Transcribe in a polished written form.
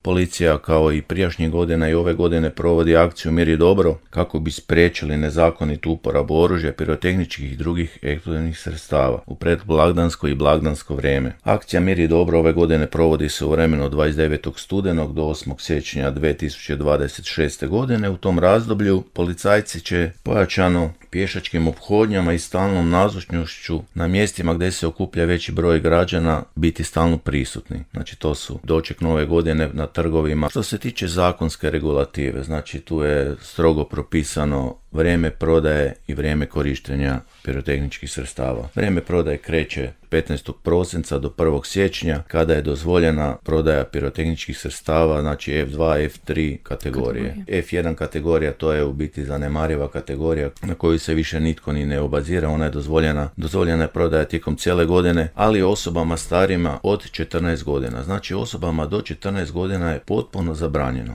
policija kao i prijašnjih godina i ove godine provodi akciju Mir i dobro kako bi spriječili nezakonitu uporabu oružja, pirotehničkih i drugih eksplozivnih sredstava u predblagdansko i blagdansko vrijeme. Akcija Mir i dobro ove godine provodi se u vremenu od 29. studenog do 8. siječnja 2026. godine. U tom razdoblju policajci će pojačano pješačkim ophodnjama i stalnom nazočnošću na mjestima gdje se okuplja veći broj građana biti stalno prisutni. Znači to su doček nove godine na trgovima. Što se tiče zakonske regulative, znači tu je strogo propisano vrijeme prodaje i vrijeme korištenja pirotehničkih sredstava. Vrijeme prodaje kreće 15. prosinca do 1. siječnja kada je dozvoljena prodaja pirotehničkih sredstava, znači F2, F3 kategorije. F1 kategorija to je u biti zanemariva kategorija na koju se više nitko ni ne obazira, ona je dozvoljena je prodaja tijekom cijele godine, ali osobama starima od 14 godina. Znači osobama do 14 godina je potpuno zabranjeno.